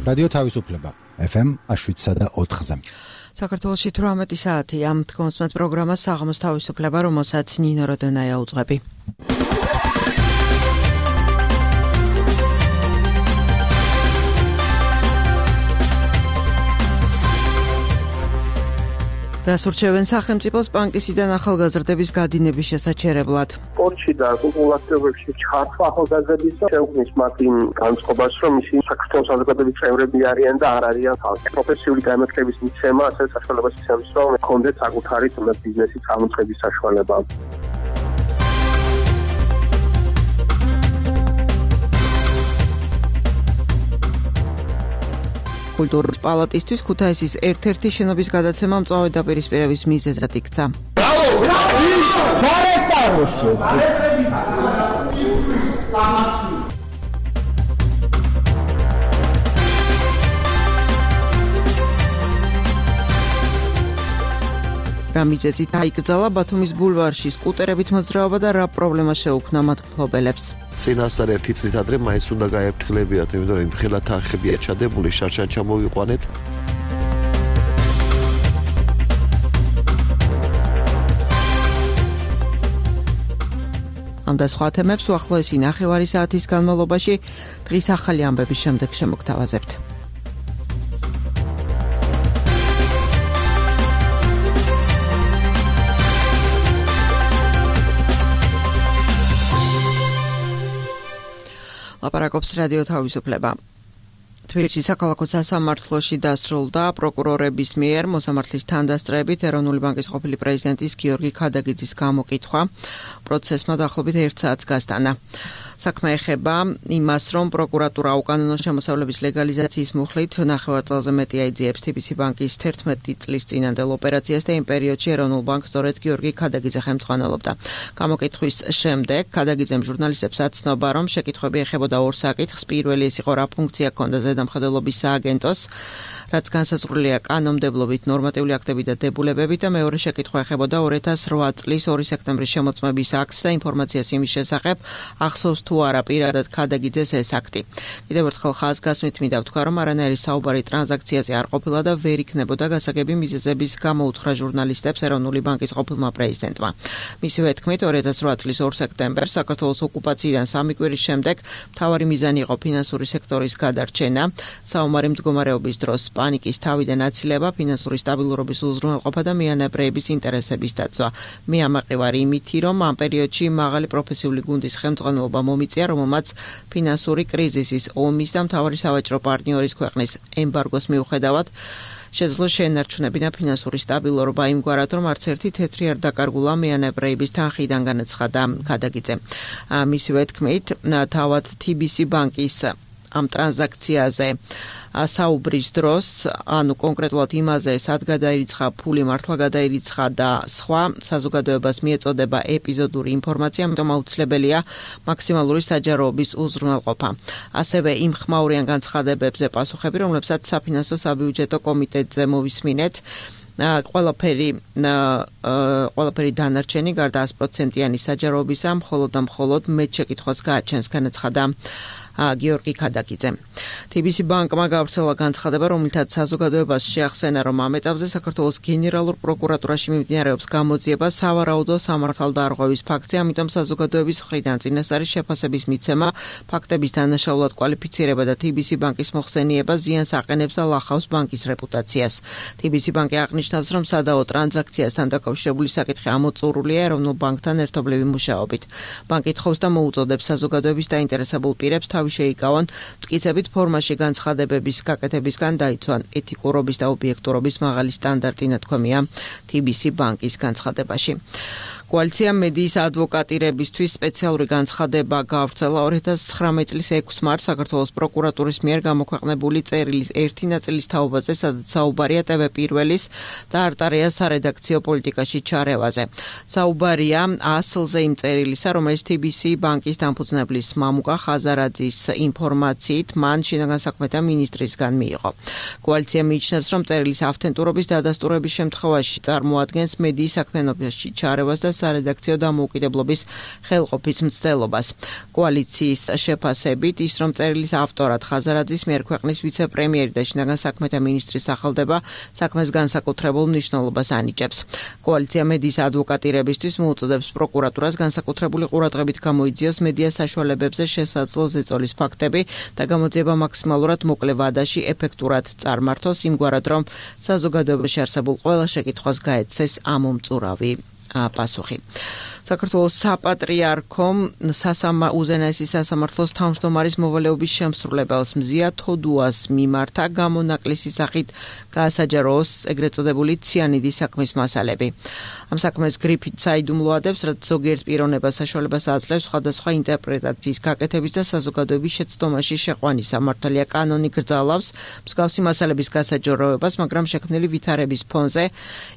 რადიო თავისუფლება FM 7.4-ზე. საქართველოში 18 საათია. თქვენს პროგრამას საღამოს თავისუფლება, რომელსაც ნინო როდონაია უძღვები. დასურჩევენ სახელმწიფოს ბანკისიდან ახალგაზრდების გადინების შესაჩერებლად. სპორტში და კულტურაში ჩართვა ახალგაზრდებისა შეუქმნის მათ იმ განწყობას, რომ ისინი საქართველოს საზოგადოების წევრები არიან და არ არიან ხალხი. პროფესიული განათლების მიცემა ასევე საშუალებას იცემს, რომ კონდეთ საკუთარი ბიზნესის გამოწყების საშუალება. კულტურის პალატისთვის ქუთაისის ერთ-ერთი შენობის გადაცემა მწვავე დაპირისპირების მიზეზად იქცა. რა მიზეზით აიკრძალა ბათუმის ბულვარში სკუტერებით მოძრაობა და რა პრობლემა შეუქმნა მათ მფლობელებს? წინასწარ ერთი წლით ადრე მაინც უნდა გაეფრთხილებიათ, იმიტომ რომ ხელა თანხებია ჩადებული, შარშან ჩამოვიყვანეთ. ამ და სხვა თემებს უახლოესი ნახევარი საათის განმავლობაში დღის ახალი ამბების შემდეგ შემოგთავაზებთ. ლაპარაკობს რადიო თავისუფლება. თბილისის საქალაქო სასამართლოში დასრულდა პროკურორების მიერ მოსამართლის თანდასწრებით ეროვნული ბანკის ყოფილი პრეზიდენტის გიორგი ქადაგიძის გამოკითხვა. პროცესმა დაახლოებით 1 საათს გასტანა. საქმე ეხება იმას, რომ პროკურატურა უკანონო შემოსავლების ლეგალიზაციის მუხლით ნახევარ წელზე მეტი აიძიებს TBC ბანკის 11 წლის წინანდელ ოპერაციას და იმ პერიოდში ეროვნულ ბანკს სწორედ გიორგი ქადაგიძე ხელმძღვანელობდა. გამოკითხვის შემდეგ ქადაგიძემ ჟურნალისტებს აცნობა, რომ შეკითხვები ეხებოდა ორ საკითხს. პირველი ეს იყო, რა ფუნქცია ჰქონდა ზედამხედველობის სააგენტოს, რაც განსაზღვრულია კანონმდებლობით, ნორმატიული აქტები და დებულებებით და მეორე შეკითხვა ეხებოდა 2008 წლის 2 სექტემბრის შემოწმების აქტს და ინფორმაციას იმის შესახებ, ახსოვს თუ არა პირადად ქადაგიძეს ეს აქტი. კიდევ ერთხელ ხაზგასმით მინდა ვთქვა, რომ არანაირი საუბარი ტრანზაქციაზე არ ყოფილა და ვერ იქნებოდა გასაგები მიზეზების გამო უთხრა ჟურნალისტებს ეროვნული ბანკის ყოფილმა პრეზიდენტმა. მისივე თქმით, 2008 წლის 2 სექტემბერს საქართველოს ოკუპაციიდან 3 კვირის შემდეგ მთავარი მიზანი იყო ფინანსური სექტორის გადარჩენა, საომარი მდგომარეობის დროს პანიკის თავიდან აცილება, ფინანსური სტაბილურობის უზრუნველყოფა და მიანებრეების ინტერესების დაცვა. მე ამაყივარი იმითი, რომ ამ პერიოდში მაღალი პროფესიული გუნდის ხელმძღვანელობა მომიწია, რომელმაც ფინანსური კრიზისის, ომის და მთავარი სავაჭრო პარტნიორის ქვეყნის ემბარგოს მიუხედავად შეძლო შენარჩუნებინა ფინანსური სტაბილურობა იმგვარად, რომ არც ერთი თეთრი არ დაკარგულა მიანებრეების თანხიდან განაცხადა ქადაგიძე. მისივე თქმით, თავად TBC ბანკის ამ ტრანზაქციაზე საუბრის დროს, ანუ კონკრეტულად იმაზე, სად გადაირიცხა ფული, მართლა გადაირიცხა და სხვა საზოგადოებას მიეწოდება ეპიზოდური ინფორმაცია, ამიტომ აუცილებელია მაქსიმალური საჯაროობის უზრუნველყოფა. ასევე იმ ხმაურიან განცხადებებზე პასუხები, რომლებსაც საფინანსო საბიუჯეტო კომიტეტზე მოვისმინეთ. ყველაფერი დანარჩენი გარდა 100%-იანი საჯაროებისა, მხოლოდ და მხოლოდ მეტ შეკითხვას გააჩენს, განაცხადა გიორგი ქადაგიძე. TBC ბანკმა გავრცელა განცხადება, რომელთაც საზოგადოებას შეახსენა, რომ ამ ეტაპზე საქართველოს გენერალურ პროკურატურაში მიმდინარეობს გამოძიება სავარაუდო სამართალდარღვევის ფაქტზე, ამიტომ საზოგადოების მხრიდან წინასწარი შეფასების მიცემა, ფაქტების დანაშაულად კვალიფიცირება და TBC ბანკის მოხსენიება ზიანს აყენებს და ლახავს ბანკის რეპუტაციას. TBC ბანკი აღნიშნავს, რომ სადაო ტრანზაქციასთან დაკავშირებული საკითხი ამოწურულია ეროვნულ ბანკთან ერთობლივი მუშაობით. ბანკი თხოვს და მოუწოდებს საზოგადოების დაინტერესებულ პირებს შეიკავონ მტკიცებით ფორმაში განცხადებების გაკეთებისგან დაიცვან ეთიკურობის და ობიექტურობის მაღალი სტანდარტი ნათქვამია TBC ბანკის განცხადებაში. კოალიცია მედიის ადვოკატირებისთვის სპეციალური განცხადება გავრცელა 2019 წლის 6 მარტს საქართველოს პროკურატურის მიერ გამოქვეყნებული წერილის ერთი ნაწილის თაობაზე, სადაც საუბარია TV პირველის და არტარია სარედაქციო პოლიტიკაში ჩარევაზე. საუბარია ასლზე იმ წერილისა, რომელიც TBC ბანკის დამფუძნებლის მამუკა ხაზარაძის ინფორმაციით მან შინაგან საქმეთა მინისტრისგან მიიღო. კოალიცია მიიჩნევს, რომ წერილის ავთენტურობის დადასტურების შემთხვევაში წარმოადგენს მედიის საქმიანობაში ჩარევას და სარედაქციო დამოუკიდებლობის ხელყოფის მცდელობას. კოალიციის შეფასებით ის რომ წერილის ავტორად ხაზარაძის მიერ ქვეყნის ვიცე-პრემიერი და შინაგან საქმეთა მინისტრის სახელდება საქმეს განსაკუთრებულ მნიშვნელობას ანიჭებს. კოალიცია მედიის ადვოკატირებისთვის მოუწოდებს პროკურატურას განსაკუთრებული ყურადღებით გამოიძიოს მედია საშუალებებზე შესაძლო ზეწოლის ფაქტები და გამოძიება მაქსიმალურად მოკლე ვადაში ეფექტურად წარმართოს იმგვარად რომ საზოგადოებაში არსებულ ყველა შეკითხვას გაეცეს ამომწურავი პასუხი. საქართველოს საპატრიარქომ უზენაესი სასამართლოს თავმჯდომარის მოვალეობის შემსრულებელს მზია თოდუას მიმართა გამონაკლისი სახით გაასაჯაროს ეგრეთ წოდებული ციანიდის საქმის მასალები. ამ საქმეს გრიფით საიდუმლოადებს, რაც ზოგიერთ პიროვნებას საშუალებას აძლევს სხვადასხვა ინტერპრეტაციის გაკეთების და საზოგადოების შეცდომაში შეყვანის. სამართალია კანონი გრძალავს მსგავსი მასალების გასაჯაროებას, მაგრამ შექმნილი ვითარების ფონზე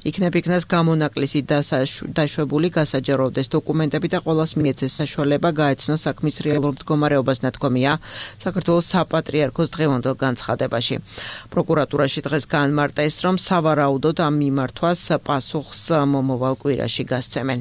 იქნებ-იქნას გამონაკლისი დაშვებული გასაჯაროვდეს დოკუმენტები და ყველას მიეცეს საშუალება გაეცნოს საქმის რეალურ მდგომარეობას, ნათქვამია საქართველოს საპატრიარქოს დღევანდელ განცხადებაში. პროკურატურაში დღეს განმარტეს, რომ სავარაუდოდ ამ მიმართვას პასუხს მომავალ კვირაში გასცემენ.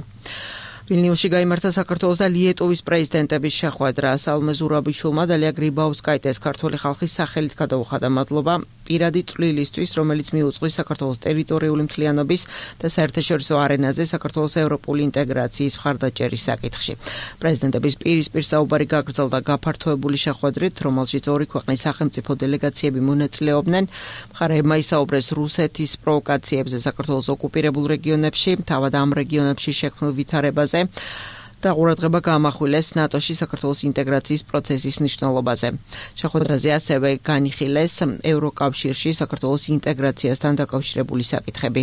ვილნიუსში გაიმართა საქართველოს და ლიეტუვის პრეზიდენტების შეხვედრა. სალომე ზურაბიშვილმა და ლია გრიბაუსკაიტეს ქართული ხალხის სახელით გადაუხადა მადლობა პირადი წვლილისთვის, რომელიც მიუძღვის საქართველოს ტერიტორიული მთლიანობის და საერთაშორისო არენაზე საქართველოს ევროპული ინტეგრაციის მხარდაჭერის საკითხში. პრეზიდენტების პირისპირ საუბარი გაგრძელდა გაფართოებული შეხვედრით, რომელშიც ორი ქვეყნის სახელმწიფო დელეგაციები მონაწილეობდნენ. მხარეებმა ისაუბრეს რუსეთის პროვოკაციებზე საქართველოს ოკუპირებულ რეგიონებში, თავად ამ რეგიონებში შექმნილ ვითარებაზე და ყურადღება გაამახვილეს ნატოში საქართველოს ინტეგრაციის პროცესის მნიშვნელობაზე. შეხვედრაზე ასევე განიხილეს ევროკავშირში საქართველოს ინტეგრაციასთან დაკავშირებული საკითხები.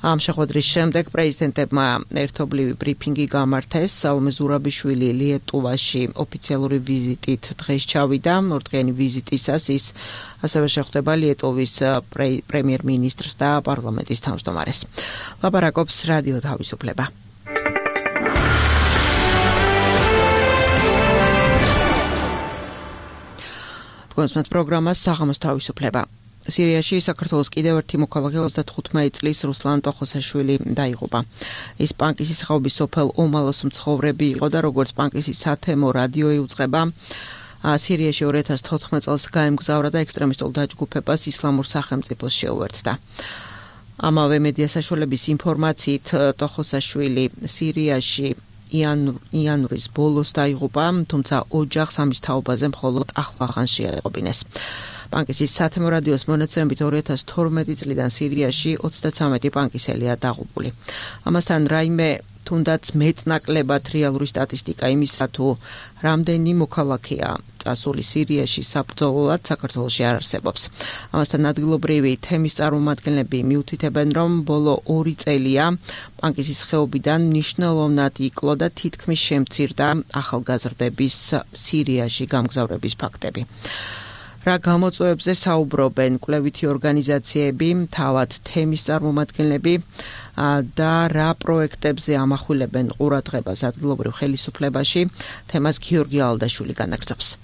ამ შეხვედრის შემდეგ პრეზიდენტებმა ერთობლივი ბრიფინგი გამართეს. სალომე ზურაბიშვილი ლიეტუვაში ოფიციალური ვიზიტით დღეს ჩავიდა. ორდღიანი ვიზიტისას ის ასევე შეხვდება ლიეტუვის პრემიერ-მინისტრს და პარლამენტის თავმჯდომარეს. ლაპარაკობს რადიო თავისუფლება. კონსმეთ პროგრამას საღამოს თავისუფლება. სირიაში საქართველოს კიდევ ერთი მოქალაქე 35 წლის რუსლან ტოხოსაშვილი დაიღუპა. ის პანკისის ხეობის სოფელ ომალოს მცხოვრები იყო და როგორც პანკისის სათემო რადიო იუწყება, სირიაში 2014 წელს გაემგზავრა და ექსტრემისტულ დაჯგუფებას ისლამურ სახელმწიფოს შეუერთდა. ამავე მედია საშუალების ინფორმაციით ტოხოსაშვილი სირიაში იანვრის ბოლოს დაიღუპა, თუმცა ოჯახს ამის თაობაზე მხოლოდ ახლახან შეეყობინეს. პანკისის სათემო რადიოს მონაცემებით 2012 წლიდან სირიაში 33 პანკისელია დაღუპული. ამასთან რაიმე თუნდაც მეტნაკლებად რეალური სტატისტიკა იმისა თუ რამდენი მოქალაქეა წასული სირიაში საბრძოლოდ საქართველოში არ არსებობს. ამასთან ადგილობრივი თემის წარმომადგენლები მიუთითებენ, რომ ბოლო 2 წელია პანკისის ხეობიდან მნიშვნელოვნად იკლო და თითქმის შემცირდა ახალგაზრდების სირიაში გამგზავრების ფაქტები. რა გამოწვევებზე საუბრობენ კვლევითი ორგანიზაციები, თავად თემის წარმომადგენლები და რა პროექტებზე ამახვილებენ ყურადღებას ადგილობრივ ხელისუფლებაში, თემას გიორგი ალდაშვილი განაგრძობს.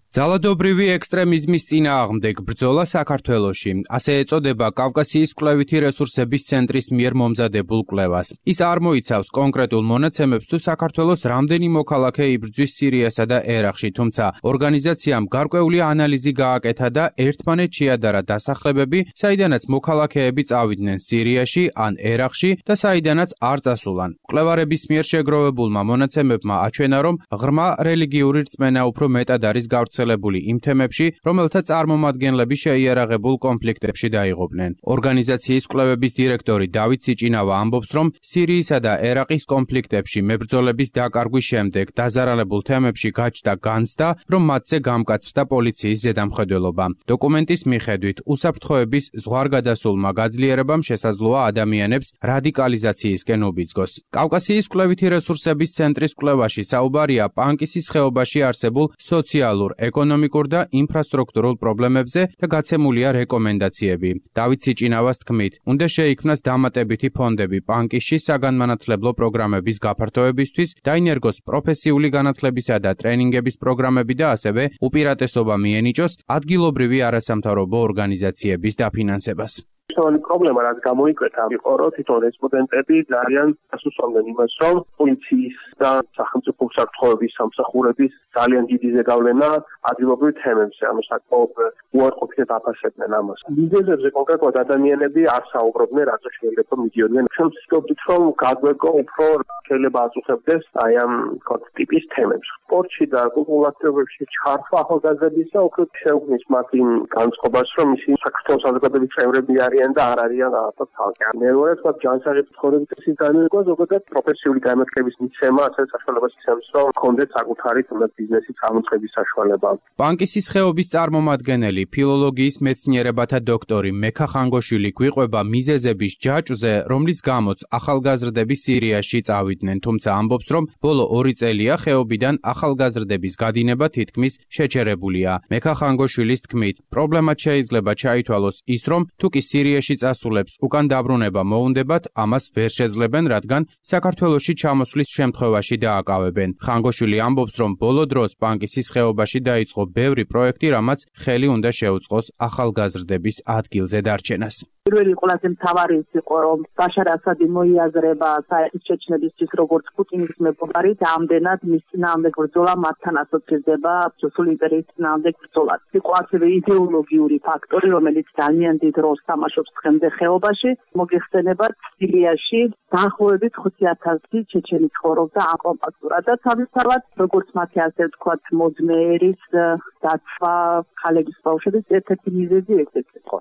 ძალადობრივი ექსტრემიზმის წინააღმდეგ ბრძოლა საქართველოში. ასე ეწოდება კავკასიის კვლევითი რესურსების ცენტრის მიერ მომზადებულ კვლევას. ის არ მოიცავს კონკრეტულ მონაცემებს თუ საქართველოს რამდენი მოქალაქე იბრძვის სირიასა და ერაყში, თუმცა ორგანიზაციამ გარკვეული ანალიზი გააკეთა და ერთმანეთს შეადარა დასახლებები, საიდანაც მოქალაქეები წავიდნენ სირიაში ან ერაყში და საიდანაც არ წასულან. კვლევარების მიერ შეგროვებულმა მონაცემებმა აჩვენა, რომ ღრმა რელიგიური რწმენა უფრო მეტად არის გავრცელებული იმ თემებში, რომელთა წარმომადგენლები შეიარაღებულ კონფლიქტებში დაიღუპნენ. ორგანიზაციის კვლევების დირექტორი დავით სიჭინავა ამბობს, რომ სირიისა და ერაყის კონფლიქტებში მებრძოლების დაკარგვის შემდეგ დაზარალებულ თემებში გაჩნდა განცდა, რომ მათზე გამკაცრდა პოლიციის ზედამხედველობა. დოკუმენტის მიხედვით, უსაფრთხოების ზღვარგადასულმა გაძლიერებამ შესაძლოა ადამიანებს რადიკალიზაციისკენ უბიძგოს. კავკასიის კვლევითი რესურსების ცენტრის კვლევაში საუბარია პანკისის ხეობაში არსებულ სოციალურ, ეკონომიკურ და ინფრასტრუქტურულ პრობლემებზე და გაცემულია რეკომენდაციები. დავით სიჭინავას თქმით, უნდა შეიქმნას დამატებითი ფონდები პანკისში საგანმანათლებლო პროგრამების გაფართოებისთვის, დაინერგოს პროფესიული განათლებისა და ტრენინგების პროგრამები და ასევე უპირატესობა მიენიჭოს ადგილობრივი არასამთავრობო ორგანიზაციების დაფინანსებას. მნიშვნელოვანი პრობლემა, რაც გამოიკვეთა, იყო, რომ თვითონ რესპონდენტები ძალიან დასუსვამდნენ იმას, რომ პოლიციის და სახელმწიფო უსაფრთხოების სამსახურების ძალიან დიდი ზეგავლენა ადგილობრივ თემებზე, ანუ საკმაოდ უარყოფითად აფასებდნენ ამას. მიზეზებზე კონკრეტულად ადამიანები არ საუბრობდნენ, რატო შეიძლება მიდიოდნენ. ჩვენ ვსწავლობთ, რომ გაგვეკო უფრო შეიძლება აწუხებდეს აი ამ ტიპის თემებს. სპორტში და კულტურულ აქტივობებში ჩართვა ახალგაზრდებისა უფრო შეუქმნის მათ იმ განწყობას, რომ ისინი საქართველოს საზოგადოების წევრები არიან და არ არიან რაღაცა თალკი. მეორე თქვა ჯანსაღების ცხოვრების წესის განმეორება, ზოგადად პროფესიული განათლების მიცემა, ასე საშუალებას იცემს, რომ ჰქონდეთ საკუთარი ბიზნესის წარმოწების საშუალება. პანკისის ხეობის წარმომადგენელი, ფილოლოგიის მეცნიერებათა დოქტორი მექა ხანგოშვილი გვიყვება მიზეზების ჯაჭვზე, რომლის გამოც ახალგაზრდები სირიაში წავიდნენ, თუმცა ამბობს, რომ ბოლო 2 წელია ხეობიდან ახალგაზრდების გადინება თითქმის შეჩერებულია. მექა ხანგოშვილის თქმით, პრობლემად შეიძლება ჩაითვალოს ის, რომ თუ კი სირიაში წასულებს უკან დაბრუნება მოუნდებათ, ამას ვერ შეძლებენ, რადგან საქართველოში ჩამოსვლის შემთხვევაში დააკავებენ. ხანგოშვილი ამბობს, რომ ბოლო დროს პანკისის ხეობაში დაიწყო ბევრი პროექტი, რამაც ხელი უნდა შეუწყოს ახალგაზრდების ადგილზე დარჩენას. პირველი ყველაზე მთავარი ის იყო, რომ ბაშარ ასადი მოიაზრება საერთის ჩეჩნებისთვის როგორც პუტინის მეგობარი და ამდენად მის წინააღმდეგ ბრძოლა მათთან ასოცირდება რუსული იმპერიის წინააღმდეგ ბრძოლას. იყო ასევე იდეოლოგიური ფაქტორი, რომელიც ძალიან დიდ როლს თამაშობს დღემდე ხეობაში. მოგეხსენებათ, სირიაში დაახლოებით 50000 ჩეჩენი ცხოვრობდა აკომპაქტურად და თავისთავად, როგორც მათი ასე ვთქვათ, მოძმეერის დაცვა ხალების ბავშვების ერთ-ერთი მიზეზი ეს იყო.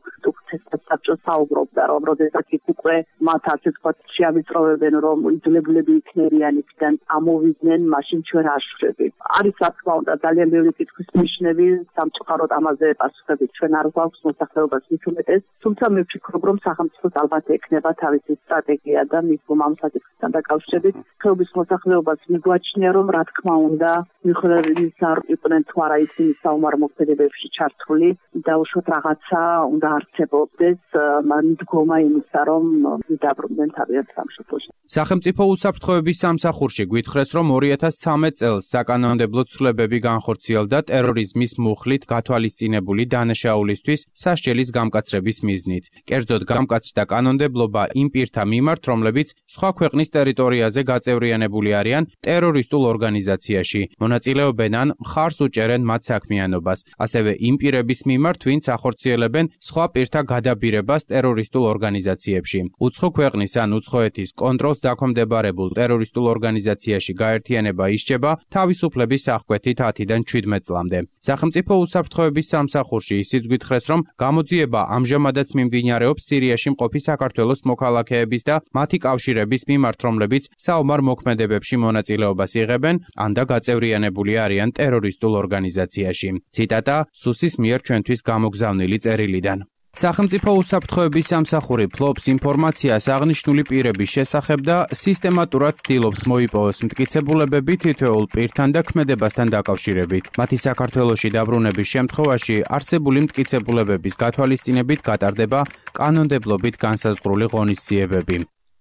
საბჭოს საუბრობდა, რომ როდესაც იქ უკვე მათ ასე ვთქვათ შეავიწროვებენ, რომ იძულებულები იქნებიან იქიდან ამოვიდნენ, მაშინ ჩვენ არ შევდებით. არის რა თქმა უნდა ძალიან ბევრი კითხვის ნიშნები, სამწუხაროდ ამაზე პასუხები ჩვენ არ გვაქვს მოსახლეობას მithumetes, თუმცა მე ვფიქრობ, რომ სახელმწიფოს ალბათ ექნება თავისი სტრატეგია და მის ამ საკითხთან დაკავშირებით ხეობის მოსახლეობას მიგვაჩნია, რომ რა თქმა უნდა მიუხედავად არ იყვნენ თუ არა ისინი საომარ მოქმედებებში ჩართული და უშუალოდ რაღაცა უნდა არსებობდეს მდგომა იმისა, რომ დაბრუნდნენ თავიანთ სამშობლოში. სახელმწიფო უსაფრთხოების სამსახურში გვითხრეს, რომ 2013 წელს საკანონმდებლო ცვლილებები განხორციელდა ტერორიზმის მუხლით გათვალისწინებული დანაშაულისთვის სასჯელის გამკაცრების მიზნით. კერძოდ გამკაცრდა კანონმდებლობა იმ პირთა მიმართ, რომლებიც სხვა ქვეყნის ტერიტორიაზე გაწევრიანებული არიან ტერორისტულ ორგანიზაციაში, მონაწილეობენ ან მხარს უჭერენ მათ საქმიანობას. ასევე იმ პირების მიმართ, ვინც ახორციელებენ სხვა პირთა გადაბირებას ტერორისტულ ორგანიზაციებში. უცხო ქვეყნის ან უცხოეთის კონტროლს დაქვემდებარებულ ტერორისტულ ორგანიზაციაში გაერთიანება ისჯება თავისუფლების აღკვეთით 10-დან 17 წლამდე. სახელმწიფო უსაფრთხოების სამსახურში ისიც გვითხრეს, რომ გამოძიება ამჟამადაც მიმდინარეობს სირიაში მყოფი საქართველოს მოქალაქეების და მათი კავშირების მიმართ, რომლებიც საომარ მოქმედებებში მონაწილეობას იღებენ ან და გაწევრიანებული არიან ტერორისტულ ორგანიზაციაში. ციტატა სუსის მიერ ჩვენთვის გამოგზავნილი წერილიდან. სახელმწიფო უსაფრთხოების სამსახური ფლობს ინფორმაციას აღნიშნული პირების შესახებ და სისტემატურად ცდილობს მოიპოვოს მტკიცებულებები თითოეულ პირთან და ქმედებასთან დაკავშირებით. მათი საქართველოში დაბრუნების შემთხვევაში არსებული მტკიცებულებების გათვალისწინებით გატარდება კანონმდებლობით განსაზღვრული ღონისძიებები.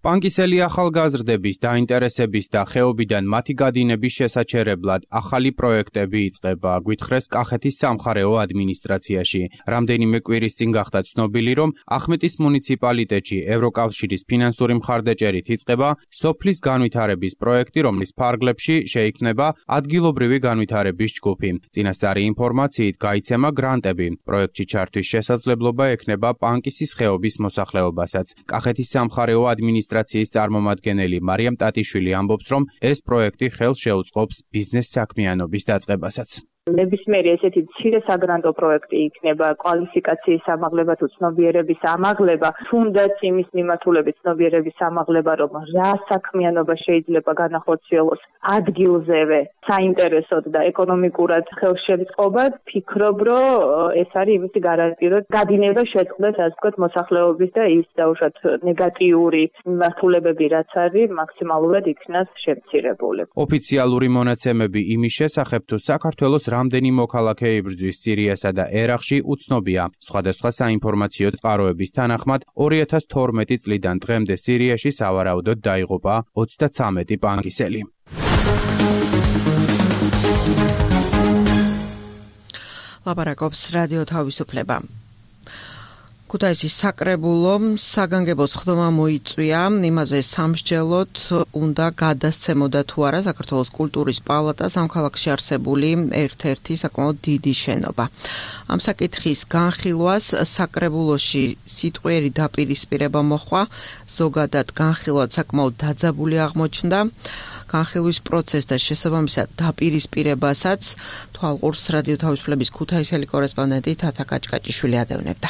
პანკისელი ახალგაზრდების დაინტერესების და ხეობიდან მათი გადინების შესაჩერებლად ახალი პროექტები იწყება, გვითხრეს კახეთის სამხარეო ადმინისტრაციაში. რამდენიმე კვირის წინ გახდა ცნობილი, რომ ახმეტის მუნიციპალიტეტში ევროკავშირის ფინანსური მხარდაჭერით იწყება სოფლის განვითარების პროექტი, რომლის ფარგლებში შეიქმნება ადგილობრივი განვითარების ჯგუფი. წინასწარი ინფორმაციით გაიცემა გრანტები. პროექტში ჩართვის შესაძლებლობა ექნება პანკისის ხეობის მოსახლეობასაც. კახეთის სამხარეო ადმინისტრაციის წარმომადგენელი მარიამ ტატიშვილი ამბობს, რომ ეს პროექტი ხელს შეუწყობს ბიზნეს საქმიანობის დაწყებასაც. ნებისმიერი ესეთი მცირე საგრანტო პროექტი იქნება კვალიფიკაციის ამაღლება თუ ცნობიერების ამაღლება, თუნდაც იმის მიმართულებით ცნობიერების ამაღლება, რომ რა საქმიანობა შეიძლება განახორციელოს ადგილზევე, საინტერესოდ და ეკონომიკურად ხელშემწყობად, ფიქრობ, რომ ეს არის იმისი გარანტია, რომ გადინება შეწყდეს, ასე ვთქვათ, მოსახლეობის და ის დაუშვათ ნეგატიური მიმართულებები, რაც არის, მაქსიმალურად იქნას შემცირებული. ოფიციალური მონაცემები იმის შესახებ, თუ საქართველოს რამდენი მოქალაქე იბრძვის სირიასა და ერაყში უცნობია. სხვადასხვა საინფორმაციო წყაროების თანახმად 2012 წლიდან დღემდე სირიაში სავარაუდოდ დაიღუპა 33 პანკისელი. ლაპარაკობს რადიო თავისუფლება. ქუთაისის საკრებულო საგანგებო სხდომა მოიწვია, იმაზე სამსჯელოდ უნდა გადასცემოდა თუ არა საქართველოს კულტურის პალატას ამ ქალაქში არსებული ერთ-ერთი საკმაოდ დიდი შენობა. ამ საკითხის განხილვას საკრებულოში სიტყვიერი დაპირისპირება მოჰყვა, ზოგადად განხილვა საკმაოდ დაძაბული აღმოჩნდა. განხილვის პროცესს და შესაბამისად დაპირისპირებასაც თვალყურს რადიო თავისუფლების ქუთაისელი კორესპონდენტი თათა კაჭკაჭიშვილი ადევნებდა.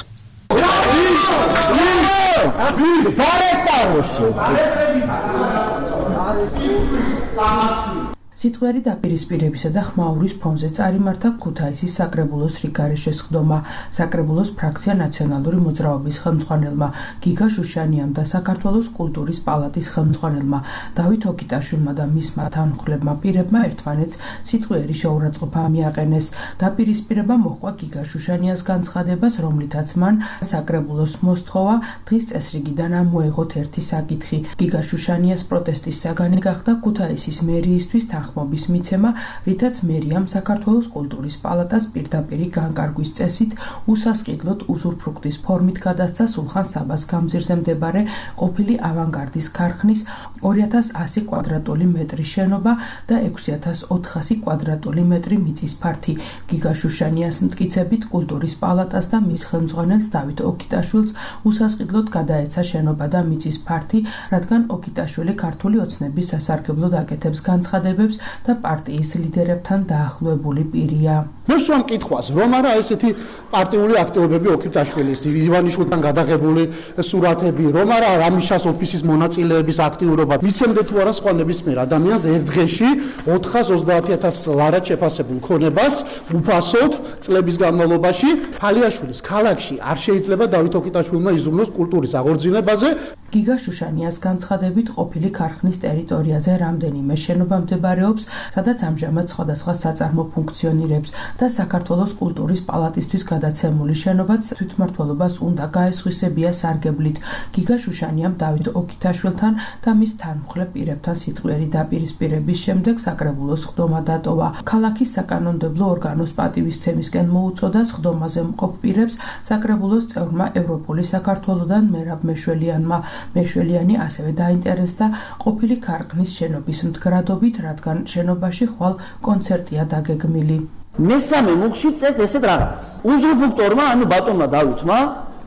სიტყვიერი დაპირისპირებისა და ხმაურის ფონზე წარიმართა ქუთაისის საკრებულოს რიგარეშე სხდომა. საკრებულოს ფრაქცია ნაციონალური მოძრაობის ხელმძღვანელმა გიგა შუშანიამ და საქართველოს კულტურის პალატის ხელმძღვანელმა დავით ოკიტაშვილმა და მისმა თანმხლებმა პირებმა ერთმანეთს სიტყვიერი შეურაცხყოფა მიაყენეს. დაპირისპირება მოჰყვა გიგა შუშანიას განცხადებას, რომლითაც მან საკრებულოს მოსთხოვა დღის წესრიგიდან მოეღოთ ერთი საკითხი. გიგა შუშანიას პროტესტის საგანი გახდა ქუთაისის მერიისთვის ხმობის მიცემა, რითაც მერიამ საქართველოს კულტურის პალატას პირდაპირი განკარგვის წესით უსასყიდლოდ უზურფრუქტის ფორმით გადასცა სულხან საბას გამზირზე მდებარე ყოფილი ავანგარდის ქარხნის 2100 კვადრატული მეტრის შენობა და 6400 კვადრატული მეტრი მიწის ფართი. გიგა შუშანიას მტკიცებით კულტურის პალატას და მის ხელმძღვანელს დავით ოკიტაშვილს უსასყიდლოდ გადაეცა შენობა და მიწის ფართი, რადგან ოკიტაშვილი ქართული ოცნების სასარგებლოდ აკეთებს განცხადებებს და პარტიის ლიდერებთან დაახლოებული პირია. მე სვამ კითხვას, რომ არა ესეთი პარტიული აქტივობები ოკიტაშვილის, ივანიშვილთან გადაღებული სურათები, რომ არა რამიშას ოფისის მონაწილეების აქტიურობა, მისცემდა თუ არა სხვა ნებისმიერ ადამიანს ერთ დღეში 430,000 ლარად შეფასებულ ქონებას უფასოდ წლების განმავლობაში. თალიაშვილის ქალაქში არ შეიძლება დავით ოკიტაშვილმა იზრუნოს კულტურის აღორძინებაზე. გიგა შუშანიას განცხადებით ყოფილი ქარხნის ტერიტორიაზე რამდენიმე შენობა მდებარეობს, სადაც ამჟამად სხვადასხვა საწარმო ფუნქციონირებს და საქართველოს კულტურის პალატისთვის გადაცემული შენობაც თვითმმართველობას უნდა გაესხვისებია სარგებლით. გიგა შუშანიამ დავით ოკიტაშვილთან და მის თანმხლებ პირებთან სიტყვიერი დაპირისპირების შემდეგ საკრებულოს სხდომა დატოვა. ქალაქის საკანონმდებლო ორგანოს პატივისცემისკენ მოუწოდა სხდომაზე მყოფ პირებს საკრებულოს წევრმა ევროპული საქართველოდან მერაბ მეშველიანმა. მეშველიანი ასევე დაინტერესდა ყოფილი ქარხნის შენობის მდგრადობით, რადგან შენობაში ხვალ კონცერტია დაგეგმილი. მესამე მუხში წეს ესეთ რაღაცას. უზრუფრუქტორმა, ანუ ბატონმა დავითმა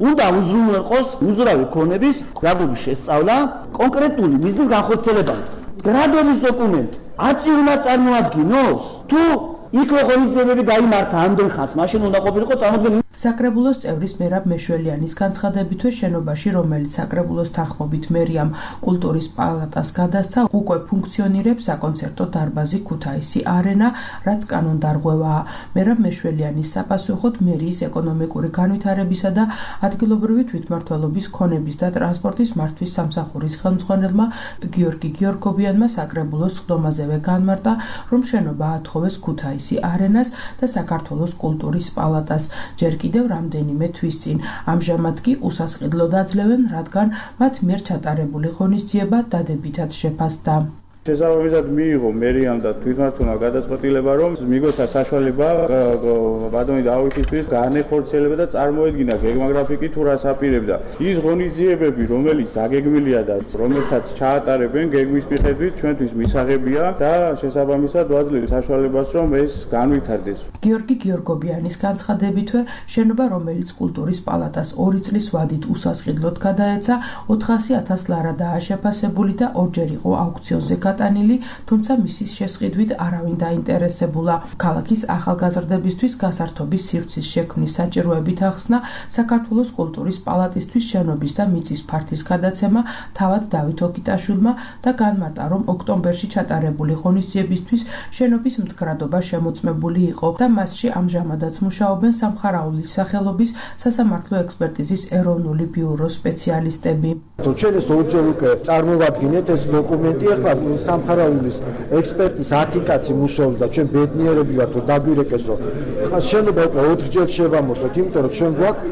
უნდა უზრუნველყოს უზრავი ქონების გრადობის შესწავლა კონკრეტული მიზნის განხორციელებამდე. გრადობის დოკუმენტი აწირულმა წარმოადგინოს თუ იქ რო ღონისძიებები გაიმართა ამდენ ხანს, მაშინ უნდა ყოფილიყო წარმოდგენილი. საკრებულოს წევრის მერაბ მეშველიანის განცხადებითვე შენობაში, რომელიც საკრებულოს თანხმობით მერიამ კულტურის პალატას გადასცა, უკვე ფუნქციონირებს საკონცერტო დარბაზი ქუთაისი არენა, რაც კანონდარღვევაა. მერაბ მეშველიანის საპასუხოდ მერიის ეკონომიკური განვითარებისა და ადგილობრივი თვითმმართველობის ქონების და ტრანსპორტის მართვის სამსახურის ხელმძღვანელმა გიორგი გიორგობიანმა საკრებულოს სხდომაზევე განმარტა, რომ შენობა ათხოვეს ქუთაისი არენას და საქართველოს კულტურის პალატას. ჯერ კიდევ რამდენიმე თვის წინ. ამჟამად კი უსასყიდლოდ აძლევენ, რადგან მათ მიერ ჩატარებული ღონისძიება დადებითად შეფასდა. შესაბამისად მიიღო მერიამ და თვითმმართველმა გადაწყვეტილება, რომ მიგოს საშუალება ბატონი დავითისთვის განეხორციელება და წარმოედგინა გეგმაგრაფიკი თუ რას აპირებდა. ის ღონისძიებები, რომელიც დაგეგმილია და რომელსაც ჩაატარებენ გეგმის მიხედვით, ჩვენთვის მისაღებია და შესაბამისად ვაძლევთ საშუალებას, რომ ეს განვითარდეს. გიორგი გიორგობიანის განცხადებითვე შენობა, რომელიც კულტურის პალატას 2 წლის ვადით უსასყიდლოდ გადაეცა, 400,000 ლარადაა შეფასებული და ორჯერ იყო აუქციონზე გატანილი, თუმცა მისის შესყიდვით არავინ დაინტერესებულა. ქალაქის ახალგაზრდებისთვის გასართობის სივრცის შექმნის საჭიროებით ახსნა საქართველოს კულტურის პალატისთვის შენობის და მიწის ფართის გადაცემა თავად დავით ოკიტაშვილმა და განმარტა, რომ ოქტომბერში ჩატარებული ღონისძიებისთვის შენობის მდგრადობა შემოწმებული იყო და მასში ამჟამადაც მუშაობენ სამხარაულის სახელობის სასამართლო ექსპერტიზის ეროვნული ბიუროს სპეციალისტები. ჩვენ ეს ორჯერ უკვე წარმოვადგინეთ ეს დოკუმენტი, ახლა სამხარაულის ექსპერტის 10 კაცი მუშაობს და ჩვენ ბედნიერები ვართ, რომ დაგვირეკესო. შენობა უკვე 4ჯერ შევამოწმოთ, იმიტომ რომ ჩვენ გვაქვს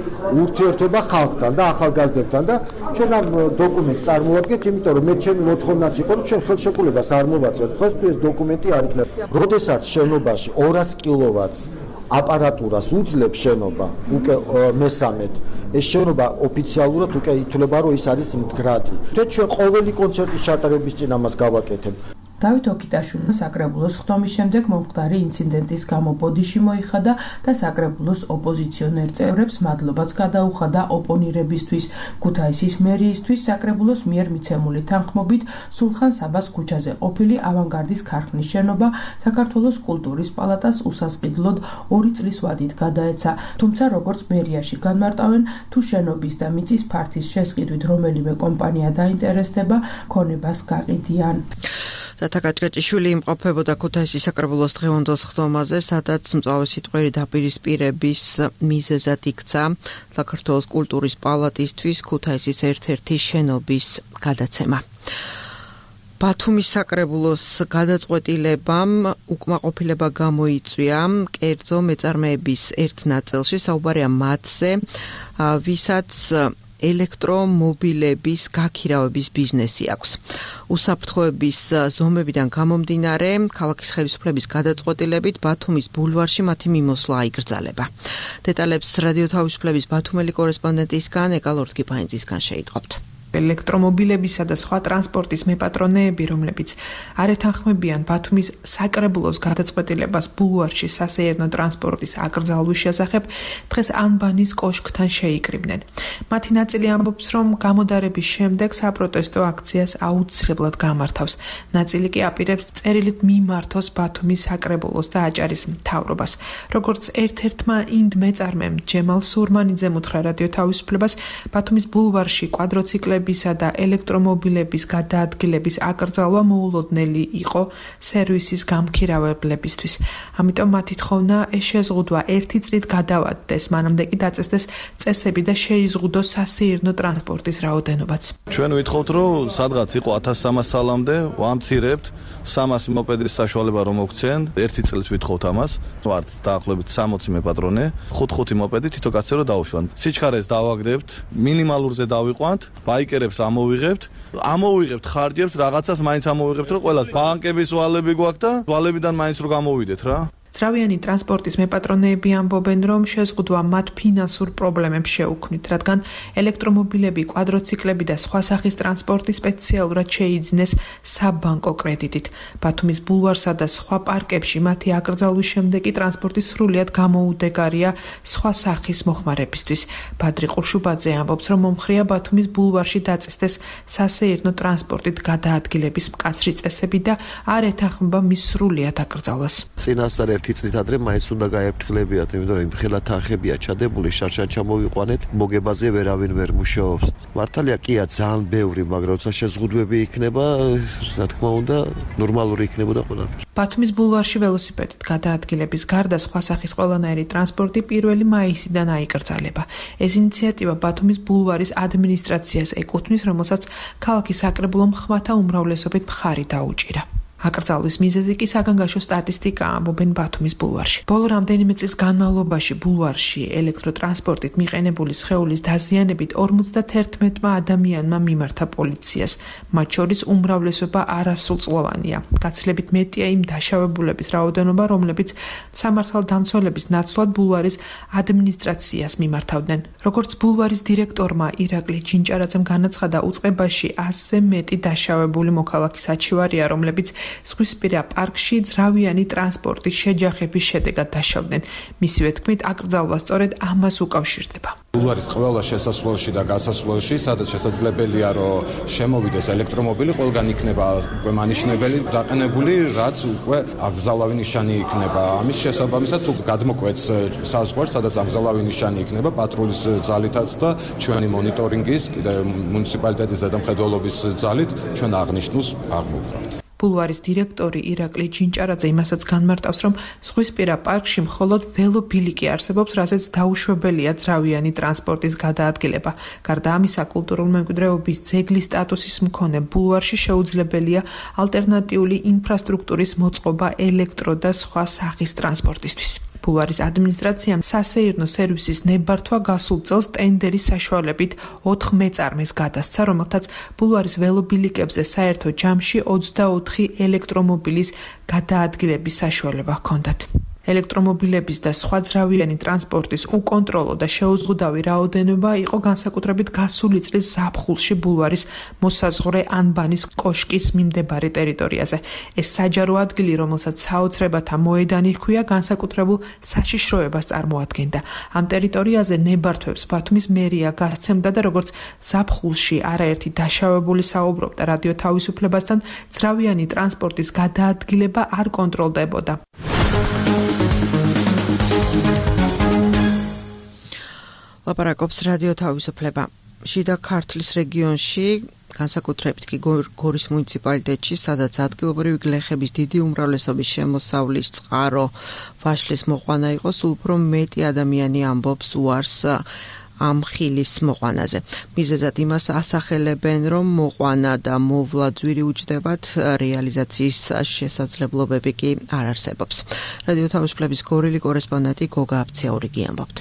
ურთიერთობა ხალხთან და ახალგაზრდებთან და ჩვენ ამ დოკუმენტს წარმოვადგეთ, იმიტომ რომ მე ჩემი მოთხოვნაც იყო, რომ ჩვენ ხელშეკრულებას არ მოვაწევთ. დღეს ეს დოკუმენტი არ იქნება. როდესაც შენობაში 200 კილოვატს აპარატურას უძლებს შენობა უკვე მესამედ ეს შენობა ოფიციალურად უკვე ითვლება რომ ის არის მდგრადი ჩვენ ყოველი კონცერტის ჩატარების წინ ამას გავაკეთებ დავით ოკიტაშვილმა საკრებულოს ხდომის შემდეგ მომხდარი ინციდენტის გამო ბოდიში მოიხადა და საკრებულოს ოპოზიციონერ წევრებს მადლობაც გადაუხადა ოპონირებისთვის. ქუთაისის მერიისთვის საკრებულოს მიერ მიცემული თანხმობით სულხან საბას ქუჩაზე ყოფილი ავანგარდის ქარხნის შენობა საქართველოს კულტურის პალატას უსასყიდლოდ 2 წლის ვადით გადაეცა. თუმცა როგორც მერიაში განმარტავენ, თუ შენობის და მიწის ფართის შესყიდვით რომელიმე კომპანია დაინტერესდება, ქონებას გაყიდიან. თათაკაჭკაჭიშვილი იმყოფებოდა ქუთაისის საკრებულოს დღევანდელ ხდომაზე, სადაც მწვავე სიტყვერი დაპირისპირების მიზეზად იქცა საქართველოს კულტურის პალატისთვის ქუთაისის ერთ-ერთი შენობის გადაცემა. ბათუმის საკრებულოს გადაწყვეტილებამ უკმაყოფილება გამოიწვია კერძო მეწარმეების ერთ ნაწილში, საუბარია მათზე, ვისაც ელექტრომობილების გაქირავების ბიზნესი აქვს. უსაფრთხოების ზომებიდან გამომდინარე, ქალაქის ხელისუფლების გადაწყვეტილებით ბათუმის ბულვარში მათი მიმოსვლა აიკრძალება. დეტალებს რადიო თავისუფლების ბათუმელი კორესპონდენტისგან ეკალორდ გიფაინძისგან შეიტყობთ. ელექტრომობილებისა და სხვა ტრანსპორტის მეპატრონეები, რომლებიც არ ეთანხმებიან ბათუმის საკრებულოს გადაწყვეტილებას ბულვარში სასეირნო ტრანსპორტის აკრძალვის შესახებ, დღეს ანბანის კოშკთან შეიკრიბნენ. მათი ნაწილი ამბობს, რომ გამოდარების შემდეგ საპროტესტო აქციას აუცილებლად გამართავს. ნაწილი კი აპირებს წერილით მიმართოს ბათუმის საკრებულოს და აჭარის მთავრობას. როგორც ერთ-ერთმა ინდ მეწარმემ ჯემალ სურმანიძემ უთხრა რადიო თავისუფლებას, ბათუმის ბულვარში კვადროციკლები და ელექტრომობილების გადაადგილების აკრძალვა მოულოდნელი იყო სერვისის გამქირავებლებისთვის. ამიტომ მათი თხოვნა შეზღუდვა 1 წლით გადავადდეს, მანამდე კი დაწესდეს წესები და შეიზღუდოს სასეირნო ტრანსპორტის რაოდენობაც. ჩვენ ვითხოვთ, რომ სადღაც იყო 1300 სალამდე ვამცირებთ 300 მოპედის საშუალება რომ მოგცენ, 1 წლით ვითხოვთ ამას. ვართ დაახლოებით 60 მეპატრონე, 5 მოპედი თითო კაცზე რომ დაუშვან. სიჩქარეს დავაგდებთ, მინიმალურზე დავიყვანთ, ბაიკერებს ამოვიღებთ ხარჯებს, რაღაცას მაინც ამოვიღებთ, რომ ყველას ბანკების ვალები გვაქვს და ვალებიდან მაინც რომ გამოვიდეთ რა. ძრავიანი ტრანსპორტის მეპატრონეები ამბობენ, რომ შეზღუდვა მათ ფინანსურ პრობლემებს შეუქმნით, რადგან ელექტრომობილები, კვადროციკლები და სხვა სახის ტრანსპორტი სპეციალურად შეიძინეს საბანკო კრედიტით. ბათუმის ბულვარსა და სხვა პარკებში მათი აკრძალვის შემდეგ კი ტრანსპორტი სრულიად გამოუდეგარია სხვა სახის მოხმარებისთვის. ბადრი ყურშუბაძე ამბობს, რომ მომხრეა ბათუმის ბულვარში დაწესდეს სასეირნო ტრანსპორტით გადაადგილების მკაცრი წესები და არ ეთანხმება მის სრულიად აკრძალვას. წინასწარ 1 წლით ადრე მაინც უნდა გაეფრთხილებიათ, იმიტომ რომ იმხელა თანხებია ჩადებული, შარშან ჩამოვიყვანეთ, მოგებაზე ვერავინ ვერ მუშაობს. მართალია კია ძალიან ბევრი, მაგრამ როცა შეზღუდვები იქნება, რა თქმა უნდა, ნორმალური იქნებოდა ყველაფერი. ბათუმის ბულვარში ველოსიპედით გადაადგილების გარდა სხვა სახის ყველანაირი ტრანსპორტი 1 მაისიდან აიკრძალება. ეს ინიციატივა ბათუმის ბულვარის ადმინისტრაციას ეკუთვნის, რომელსაც ქალაქის საკრებულომ ხმათა უმრავლესობით მხარი დაუჭირა. აკრძალვის მიზეზი კი საგანგაშო სტატისტიკაა, ამბობენ ბათუმის ბულვარში. ბოლო რამდენიმე წლის განმავლობაში ბულვარში ელექტროტრანსპორტით მიყენებული სხეულის დაზიანებით 51 ადამიანმა მიმართა პოლიციას. მათ შორის უმრავლესობა არასრულწლოვანია. გაცილებით მეტია იმ დაშავებულების რაოდენობა, რომლებიც სამართალდამცველების ნაცვლად ბულვარის ადმინისტრაციას მიმართავდნენ. როგორც ბულვარის დირექტორმა ირაკლი ჯინჭარაძემ განაცხადა, უწყებაში 100-ზე მეტი დაშავებული მოქალაქის აჩივარია, რომლებიც ზღვისპირა პარკში ძრავიანი ტრანსპორტის შეჯახების შედეგად დაშავდნენ. მისივე თქმით, აკრძალვა სწორედ ამას უკავშირდება. ბულვარის ყველა შესასვლელში და გასასვლელში, სადაც შესაძლებელია, რომ შემოვიდეს ელექტრომობილი, ყველგან იქნება უკვე მანიშნებელი დაყენებული, რაც უკვე აკრძალავი ნიშანი იქნება. ამის შესაბამისად, თუ გადმოკვეთს საზღვარს, სადაც აკრძალავი ნიშანი იქნება, პატრულის ძალითაც და ჩვენი მონიტორინგის, კიდე მუნიციპალიტეტის ზედამხედველობის ძალით ჩვენ აღნიშნულს აღმოვხვრავთ. ბულვარის დირექტორი ირაკლი ჯინჭარაძე იმასაც განმარტავს, რომ ზღვისპირა პარკში მხოლოდ ველობილიკი არსებობს, რასაც დაუშვებელია ძრავიანი ტრანსპორტის გადაადგილება. გარდა ამისა, კულტურული მემკვიდრეობის ძეგლის სტატუსის მქონე ბულვარში შეუძლებელია ალტერნატიული ინფრასტრუქტურის მოწყობა ელექტრო და სხვა სახის ტრანსპორტისთვის. ბულვარის ადმინისტრაციამ სასეირნო სერვისის ნებართვა გასულ წელს ტენდერის საშუალებით 4 მეწარმეს გადასცა, რომელთაც ბულვარის ველობილიკებზე საერთო ჯამში 24 ელექტრომობილის გადაადგილების საშუალება ჰქონდათ. ელექტრომობილების და სხვა ძრავიანი ტრანსპორტის უკონტროლო და შეუზღუდავი რაოდენობა იყო განსაკუთრებით გასული წლის ზაფხულში ბულვარის მოსაზღვრე ანბანის კოშკის მიმდებარე ტერიტორიაზე. ეს საჯარო ადგილი, რომელსაც საოცრებათა მოედანი ჰქვია, განსაკუთრებულ საშიშროებას წარმოადგენდა. ამ ტერიტორიაზე ნებართვებს ბათუმის მერია გასცემდა და როგორც ზაფხულში არაერთი დაშავებული საუბრობდა რადიო თავისუფლებასთან, ძრავიანი ტრანსპორტის გადაადგილება არ კონტროლდებოდა. ლაპარაკობს რადიო თავისუფლება. შიდა ქართლის რეგიონში, განსაკუთრებით კი გორის მუნიციპალიტეტში, სადაც ადგილობრივი გლეხების დიდი უმრავლესობის შემოსავლის წყარო ვაშლის მოყვანა იყო, სულ უფრო მეტი ადამიანი ამბობს უარს ამ ხილის მოყვანაზე. მიზეზად იმას ასახელებენ, რომ მოყვანა და მოვლა ძვირი უჯდებათ, რეალიზაციის შესაძლებლობები კი არ არსებობს. რადიო თავისუფლების გორილი კორესპონდენტი გოგა აბციაურიგი ამბობთ.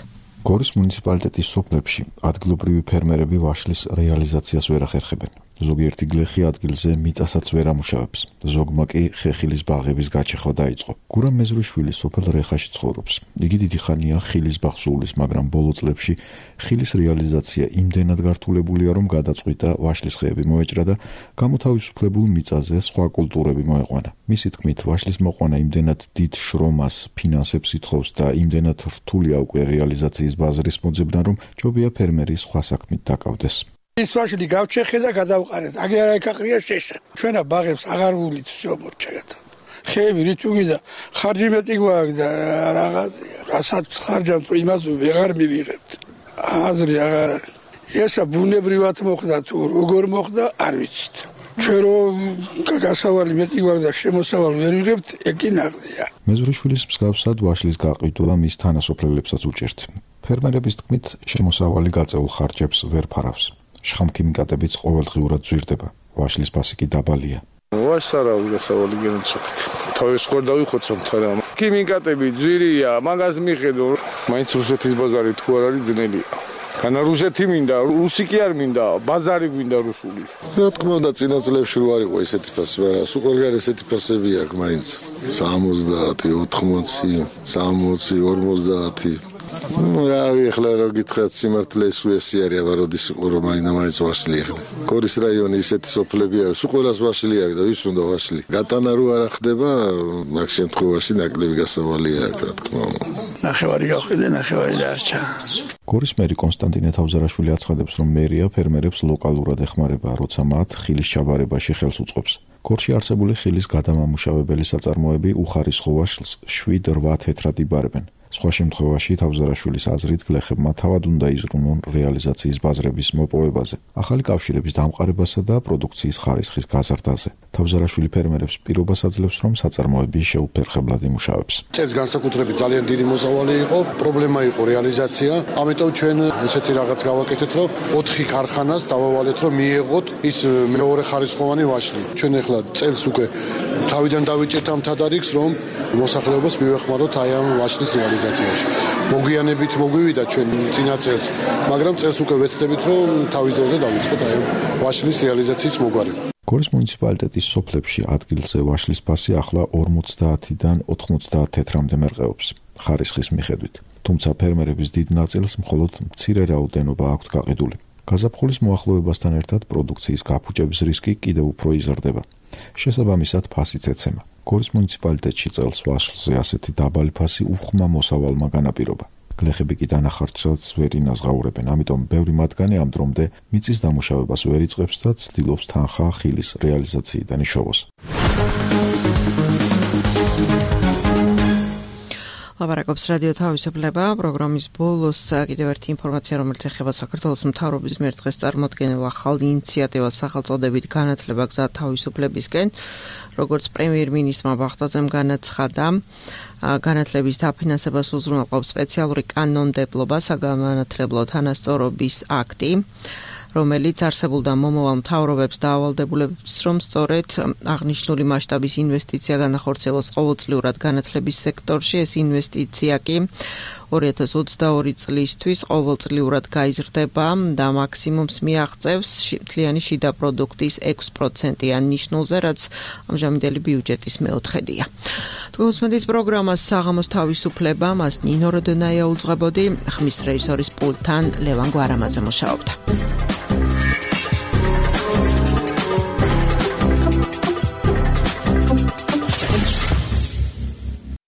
გორის მუნიციპალიტეტის სოფლებში ადგილობრივი ფერმერები ვაშლის რეალიზაციას ვერ ახერხებენ. ზოგიერთი გლეხი ადგილზე მიწასაც ვერ ამუშავებს. ზოგმა კი ხეხილის ბაღების გაჩეხვა დაიწყო. გურამ მეზრუშვილი სოფელ რეხაში ცხოვრობს. იგი დიდი ხანია ხილის ბაღს უვლის, მაგრამ ბოლო წლებში ხილის რეალიზაცია იმდენად გართულებულია, რომ გადაწყვიტა ვაშლის ხეები მოეჭრა და გამოთავისუფლებულ მიწაზე სხვა კულტურები მოეყვანა. მისი თქმით, ვაშლის მოყვანა იმდენად დიდ შრომას, ფინანსებს ითხოვს და იმდენად რთულია უკვე რეალიზაციის ბაზრის მოძებნა, რომ ჯობია ფერმერი სხვა საქმით დაკავდეს. ის ვაშლი გავჩეხე და გადავყარეთ. აგი არა ეკაყრია შეშა. ჩვენა ბაღებს აღარ ვულით всё მორჩაგათა. ხეები რითუგიდა ხარჯი მეტი გვაქვს და რაღაცა. რასაც ხარჯავთ იმას ვეღარ მივიღებთ. აზრი აღარ. ესა ბუნებრივად მოხდა თუ როგორ მოხდა არ ვიცით. ჩვენ რომ გასავალი მეტი გვაქვს და შემოსავალი ვერ ვიღებთ, ეკი ნაღდია. მეზრუშვილის მსგავსად ვაშლის გაყიდვა მის თანასოფლელებსაც უჭერთ. ფერმერების თქმით, შემოსავალი გაწეულ ხარჯებს ვერ ფარავს. შხამქიმიკატებიც ყოველდღიურად ძვირდება. ვაშლის ფასი კი დაბალია. ვაშარა გასავალი გენცოხთ. თავის ხوار დავიხოცოთ თორე. ქიმიკატები ძვირია, მაგას მიხედო. მაინც რუსეთის ბაზარი თუ არ არის ძნელია. განა რუსეთი მინდა, რუსი კი არ მინდა, ბაზარი გვინდა რუსული. რა თქმა უნდა, წინა წლებში რო არ იყო ესეთი ფასი, მაგრამ სულ ყველგან ესეთი ფასები აქვს მაინც. 70, 80, 60, 40. რა ახლა რო გითხრათ სიმართლე სუესი არის, აბა როდის იყო რომ მაინც ვაშლი ახლა. გორის რაიონი ისეთი სოფლები არის, სულ ყველას ვაშლი აქვს და ვის უნდა ვაშლი. გატანა რო არ ხდება, მაგ შემთხვევაში ნაკლები გასავალია აქვს, რა თქმა უნდა. ნახევარი გავხდე, ნახევარი დარჩა. გორის მერი კონსტანტინე თავზარაშვილი აცხადებს, რომ მერია ფერმერებს ლოკალურად ეხმარება, როცა მათ ხილის ჩაბარებაში ხელს უწყობს. გორში არსებული ხილის გადამამუშავებელი საწარმოები უხარისხო ვაშლს 7-8 თეთრად იბარებენ. სხვა შემთხვევაში თავზარაშვილის აზრით გლეხებმა თავად უნდა იზრუნონ რეალიზაციის ბაზრების მოპოვებაზე, ახალი კავშირების დამყარებასა და პროდუქციის ხარისხის გაზრდაზე. თავზარაშვილი ფერმერებს პირობას აძლევს, რომ საწარმოები შეუფერხებლად იმუშავებს. წელს განსაკუთრებით ძალიან დიდი მოსავალი იყო, პრობლემა იყო რეალიზაცია, ამიტომ ჩვენ ესეთი რაღაც გავაკეთეთ, რომ 4 ქარხანას დავავალეთ, რომ მიეღოთ ის მეორე ხარისხოვანი ვაშლი. ჩვენ ახლა წელს უკვე თავიდან დავიჭერთ ამ თადარიგს, რომ მოსახლეობას მივეხმაროთ აი ამ ვაშლის რეალიზაციაში. მოგვიანებით მოგვივიდა ჩვენ წინა წელს, მაგრამ წელს უკვე ვეცდებით, რომ თავის დროზე დავიწყოთ აი ამ ვაშლის რეალიზაციის მოგვარება. გორის მუნიციპალიტეტის სოფლებში ადგილზე ვაშლის ფასი ახლა 50-დან 90 თეთრამდე მერყეობს ხარისხის მიხედვით. თუმცა ფერმერების დიდ ნაწილს მხოლოდ მცირე რაოდენობა აქვთ გაყიდული. გაზაფხულის მოახლოებასთან ერთად პროდუქციის გაფუჭების რისკი კიდევ უფრო იზრდება. შესაბამისად ფასიც ეცემა. გორის მუნიციპალიტეტში წელს ვაშლზე ასეთი დაბალი ფასი უხმა მოსავალმა განაპირობა. გლეხები კი დანახარჯსაც ვერ ინაზღაურებენ, ამიტომ ბევრი მათგანი ამ დრომდე მიწის დამუშავებას ვერ იწყებს და ცდილობს თანხა ხილის რეალიზაციიდან იშოვოს. ლაპარაკობს რადიო თავისუფლება, პროგრამის ბოლოს კიდევ ერთი ინფორმაცია, რომელიც ეხება საქართველოს მთავრობის მიერ დღეს წარმოდგენილ ახალ ინიციატივას სახელწოდებით განათლება გზა თავისუფლებისკენ. როგორც პრემიერ-მინისტრმა ბახტაძემ განაცხადა, განათლების დაფინანსებას უზრუნველყოფს სპეციალური კანონმდებლობა, საგანმანათლებლო თანასწორობის აქტი, რომელიც არსებულ და მომავალ მთავრობებს დაავალდებულებს, რომ სწორედ აღნიშნული მასშტაბის ინვესტიცია განახორციელოს ყოველწლიურად განათლების სექტორში. ეს ინვესტიცია კი 2022 წლისთვის ყოველწლიურად გაიზრდება და მაქსიმუმს მიაღწევს მთლიანი შიდა პროდუქტის 6%-იან ნიშნულზე, რაც ამჟამინდელი ბიუჯეტის მეოთხედია. თუმცა პროგრამას საღამოს თავისუფლება მას ნინო როდონაია უძღვებოდი, ხმის რეჟისორის პულტთან ლევან გვარამაძე მუშაობდა.